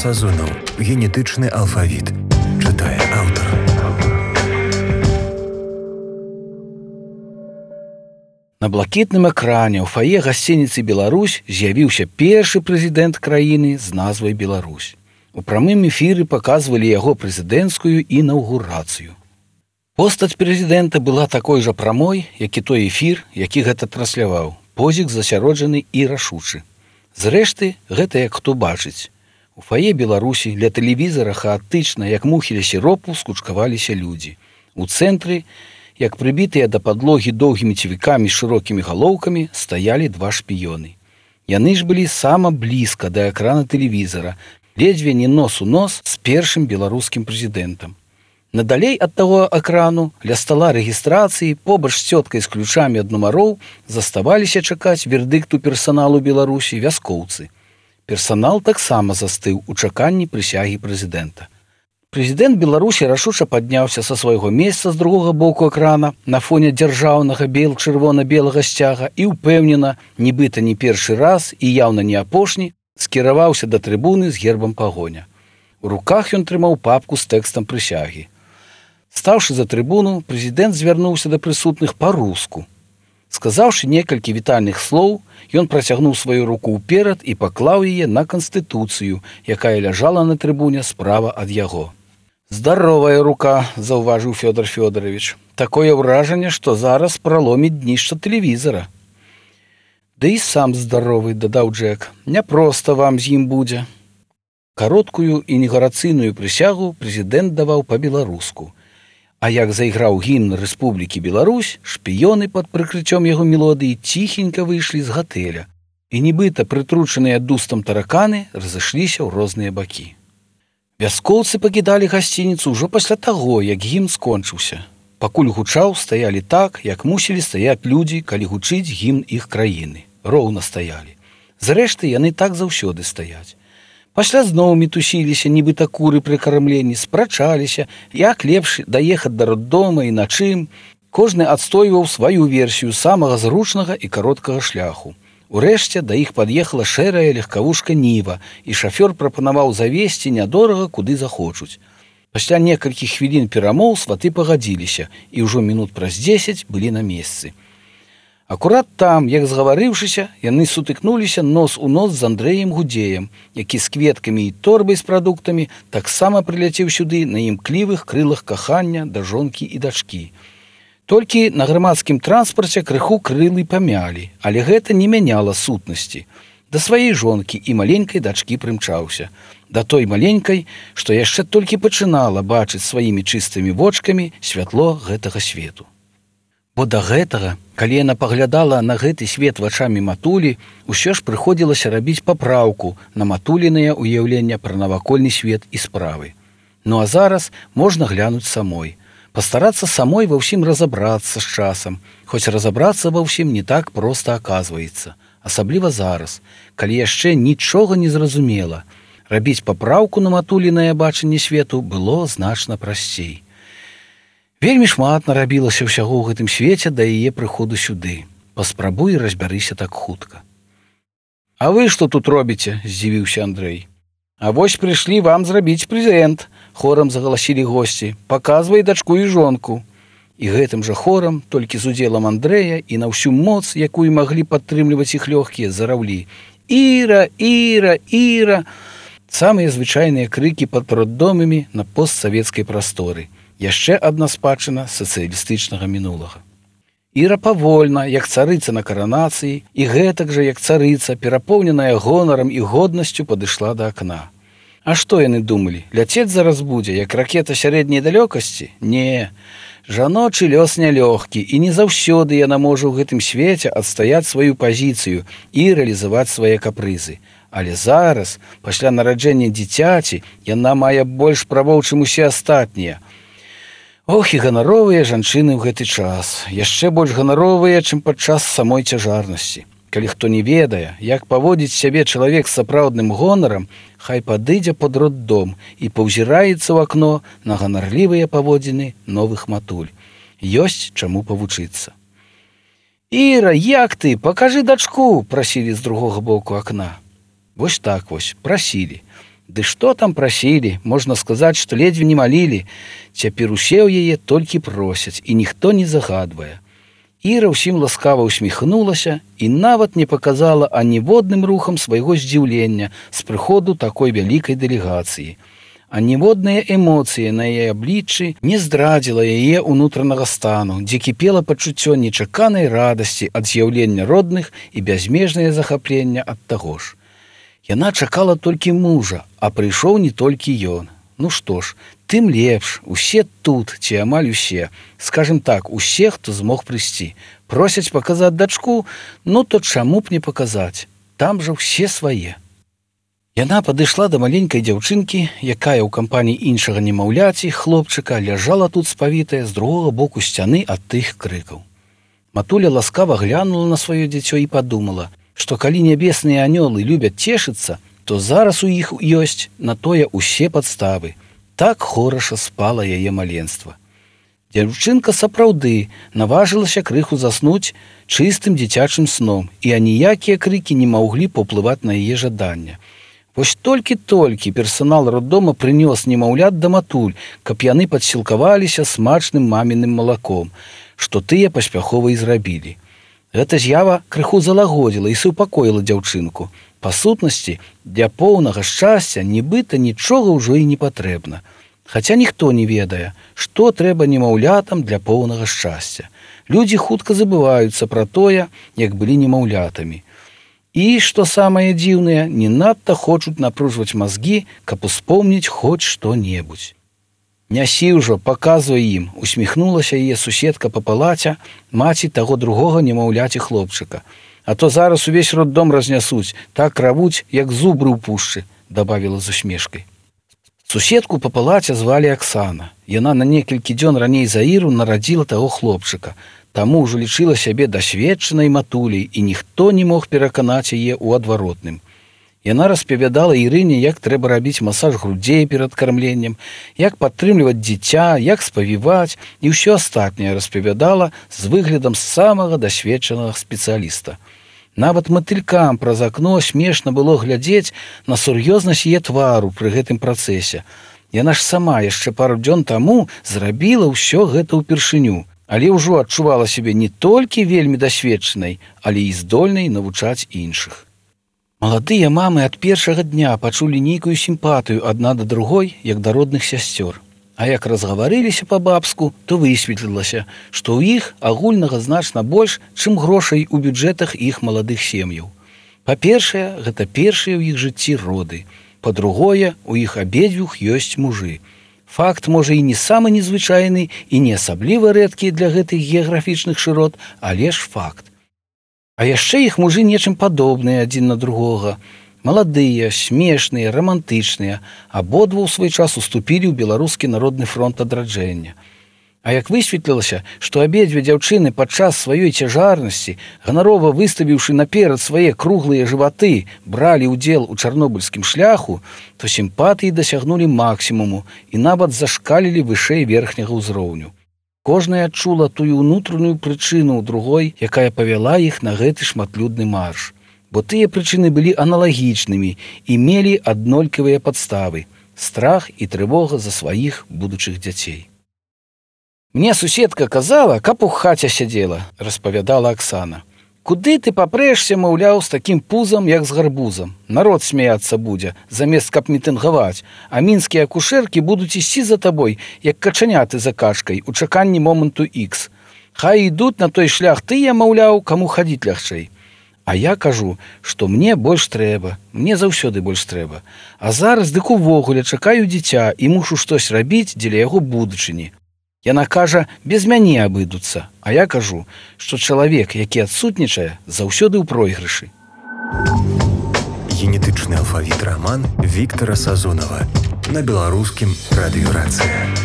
Сазонаў. Генетычны алфавіт. Чытае аўтар. На блакітным экране ў фае гасцініцы «Беларусь» з'явіўся першы прэзідэнт краіны з назвай «Беларусь». У прамым эфіры паказвалі яго прэзідэнцкую інаўгурацыю. Постаць прэзідэнта была такой жа прамой, як і той эфір, які гэта трансляваў. Позік засяроджаны і рашучы. Зрэшты, гэта як хто бачыць. У фае Беларусі ля тэлевізара хаатычна, як мухі ля сіропу, скучкаваліся людзі. У цэнтры, як прыбітыя да падлогі доўгімі цівікамі з шырокімі галоўкамі, стаялі два шпіёны. Яны ж былі сама блізка да экрана тэлевізара, ледзьве не нос у нос з першым беларускім прэзідэнтам. Надалей ад таго экрану, ля стала рэгістрацыі, побач з цёткай з ключамі ад нумароў, заставаліся чакаць вердыкту персаналу Беларусі вяскоўцы. Персанал таксама застыў у чаканні прысягі прэзідэнта. Прэзідэнт Беларусі рашуча падняўся са свайго месца з другога боку экрана на фоне дзяржаўнага бел-чырвона-белага сцяга і ўпэўнена, нібыта не першы раз і яўна не апошні, скіраваўся да трыбуны з гербам пагоня. У руках ён трымаў папку з тэкстам прысягі. Стаўшы за трыбуну, прэзідэнт звярнуўся да прысутных па-руску. Сказаўшы некалькі вітальных слоў, ён працягнуў сваю руку ўперад і паклаў яе на канстытуцыю, якая ляжала на трыбуне справа ад яго. «Здаровая рука», – заўважыў Фёдор Фёдорович. «Такое ўражанне, што зараз праломіць днішча тэлевізара». «Ды і сам здаровы», – дадаў Джек. «Няпроста вам з ім будзе». Кароткую інаўгурацыйную прысягу прэзідэнт даваў па-беларуску. А як зайграў гімн Рэспублікі Беларусь, шпіёны пад прыкрыццём яго мелодыі ціхенька выйшлі з гатэля, і нібыта прытручаныя дустам тараканы разышліся ў розныя бакі. Вяскоўцы пакідалі гасцініцу ўжо пасля таго, як гімн скончыўся. Пакуль гучаў, стаялі так, як мусілі стаяць людзі, калі гучыць гімн іх краіны. Роўна стаялі. Зрэшты, яны так заўсёды стаяць. Пасля зноў мітусіліся, нібыта куры пры кармленні, спрачаліся, як лепш даехаць да роддома і на чым. Кожны адстойваў сваю версію самага зручнага і кароткага шляху. Урэшце да іх пад'ехала шэрая легкавушка Ніва, і шафёр прапанаваў завезці нядорага, куды захочуць. Пасля некалькіх хвілін перамоў сваты пагадзіліся, і ўжо мінут праз 10 былі на месцы. Акурат там, як згаварыўшыся, яны сутыкнуліся нос у нос з Андрэем Гудзеем, які з кветкамі і торбай з прадуктамі таксама прыляцеў сюды на імклівых крылах кахання да жонкі і дачкі. Толькі на грамадскім транспарце крыху крылы памялі, але гэта не мяняла сутнасці. Да сваёй жонкі і маленькай дачкі прымчаўся. Да той маленькай, што яшчэ толькі пачынала бачыць сваімі чыстымі вочкамі святло гэтага свету. Бо да гэтага, калі яна паглядала на гэты свет вачамі матулі, усё ж прыходзілася рабіць папраўку на матуліныя ўяўлення пра навакольны свет і справы. Ну а зараз можна глянуць самой. Пастарацца самой ва ўсім разабрацца з часам, хоць разабрацца ва ўсім не так проста аказваецца. Асабліва зараз, калі яшчэ нічога не зразумела. Рабіць папраўку на матулінае бачанне свету было значна прасцей. Вельмі шмат нарабілася ўсяго ў гэтым свеце да яе прыходу сюды. Паспрабуй і разбярыся так хутка. «А вы што тут робіце?» – здзівіўся Андрэй. «А вось прыйшлі вам зрабіць прэзент», – хорам загаласілі госці. «Паказвай дачку і жонку». І гэтым жа хорам, толькі з удзелам Андрэя і на ўсю моц, якую маглі падтрымліваць іх лёгкія, зараўлі: «Іра! Іра! Іра!» Самыя звычайныя крыкі пад роддомамі на постсавецкай прасторы. Яшчэ адна спадчына сацыялістычнага мінулага. Іра павольна, як царыца на каранацыі, і гэтак жа, як царыца, перапоўненая гонарам і годнасцю, падышла да акна. А што яны думалі? Ляцець зараз будзе, як ракета сярэдняй далёкасці? Не. Жаночы лёс нялёгкі, і не заўсёды яна можа ў гэтым свеце адстаяць сваю пазіцыю і рэалізаваць свае капрызы. Але зараз, пасля нараджэння дзіцяці, яна мае больш правоў, чым усе астатнія. Ох, і ганаровыя жанчыны ў гэты час. Яшчэ больш ганаровыя, чым падчас самой цяжарнасці. Калі хто не ведае, як паводзіць сябе чалавек з сапраўдным гонарам, хай падыдзе пад роддом і паўзіраецца ў акно на ганарлівыя паводзіны новых матуль. Ёсць чаму павучыцца. «Іра, як ты? Пакажы дачку!» – прасілі з другога боку акна. Вось так вось, прасілі. Ды што там прасілі, можна сказаць, што ледзьве не малілі. Цяпер усе ў яе толькі просяць, і ніхто не загадвае. Іра ўсім ласкава усміхнулася і нават не паказала аніводным рухам свайго здзіўлення з прыходу такой вялікай дэлегацыі. Аніводныя эмоцыі на яе абліччы не здрадзіла яе ўнутранага стану, дзе кіпела пачуццё нечаканай радасці ад з'яўлення родных і бязмежнае захаплення ад таго ж. Яна чакала толькі мужа, а прыйшоў не толькі ён. Ну што ж, тым лепш, усе тут, ці амаль усе, скажем так, усе, хто змог прыйсці. Просяць паказаць дачку, ну то чаму б не паказаць? Там жа ўсе свае. Яна падышла да маленькай дзяўчынкі, якая ў кампаніі іншага немаўляці, хлопчыка, ляжала тут спавітая з другога боку сцяны ад тых крыкаў. Матуля ласкава глянула на сваё дзіцё і падумала, што калі нябесныя анёлы любяць цешыцца, то зараз у іх ёсць на тое ўсе падставы. Так хораша спала яе маленства. Дзяўчынка сапраўды наважылася крыху заснуць чыстым дзіцячым сном, і аніякія крыкі не маглі паўплываць на яе жаданне. Вось толькі-толькі персанал роддома прынёс немаўлят да матуль, каб яны падсілкаваліся смачным маміным малаком, што тыя паспяхова і зрабілі. Гэта з'ява крыху залагодзіла і супакоіла дзяўчынку. Па сутнасці, для поўнага шчасця нібыта нічога ўжо і не патрэбна. Хаця ніхто не ведае, што трэба немаўлятам для поўнага шчасця. Людзі хутка забываюцца пра тое, як былі немаўлятамі. І, што самае дзіўнае, не надта хочуць напружваць мазгі, каб успомніць хоць што-небудзь. «Нясі ўжо, паказвай ім», усміхнулася яе суседка па палаце, маці таго другога немаўляці хлопчыка. «А то зараз увесь роддом разнясуць, так равуць, як зубры ў пушчы», дабавіла з усмешкай. Суседку па палаце звалі Аксана. Яна на некалькі дзён раней за Іру нарадзіла таго хлопчыка, таму ўжо лічыла сябе дасведчанай матуляй, і ніхто не мог пераканаць яе ў адваротным. Яна распавядала Ірыне, як трэба рабіць масаж грудзей перад кармленнем, як падтрымліваць дзіця, як спавіваць, і ўсё астатняе распавядала з выглядам самага дасведчанага спецыяліста. Нават матылькам праз акно смешна было глядзець на сур'ёзнасць яе твару пры гэтым працэсе. Яна ж сама яшчэ пару дзён таму зрабіла ўсё гэта ўпершыню, але ўжо адчувала сябе не толькі вельмі дасведчанай, але і здольнай навучаць іншых. Маладыя мамы ад першага дня пачулі нейкую сімпатыю адна да другой, як да родных сясцёр. А як разгаварыліся па-бабску, то высветлілася, што ў іх агульнага значна больш, чым грошай у бюджэтах іх маладых сем'яў. Па-першае, гэта першыя ў іх жыцці роды. Па-другое, у іх абедзвюх ёсць мужы. Факт, можа, і не самы незвычайны і не асабліва рэдкі для гэтых геаграфічных шырот, але ж факт. А яшчэ іх мужы нечым падобныя адзін на другога. Маладыя, смешныя, рамантычныя, абодва ў свой час уступілі ў Беларускі народны фронт адраджэння. А як высветлілася, што абедзве дзяўчыны падчас сваёй цяжарнасці, ганарова выставіўшы наперад свае круглыя жываты, бралі ўдзел у чарнобыльскім шляху, то сімпатыі дасягнулі максімуму і нават зашкалілі вышэй верхняга ўзроўню. Кожная адчула тую ўнутраную прычыну ў другой, якая павяла іх на гэты шматлюдны марш. Бо тыя прычыны былі аналагічнымі і мелі аднолькавыя падставы – страх і трывога за сваіх будучых дзяцей. «Мне суседка казала, каб у хаце сядзела», – распавядала Аксана. «Куды ты папрэшся, маўляў, з такім пузам, як з гарбузам? Народ смяяцца будзе, замест каб мітынгаваць, а мінскія акушэркі будуць ісці за табой, як качаняты за качкай, у чаканні моманту Х. Хай ідуць на той шлях тыя, маўляў, каму хадзіць лягчэй. А я кажу, што мне больш трэба, мне заўсёды больш трэба. А зараз дык увогуле чакаю дзіця і мушу штось рабіць дзеля яго будучыні. Яна кажа, без мяне абыдуцца, а я кажу, што чалавек, які адсутнічае, заўсёды ў пройгрышы». Генетычны алфавіт раман Віктара Сазонава на беларускім радыё «Рацыя».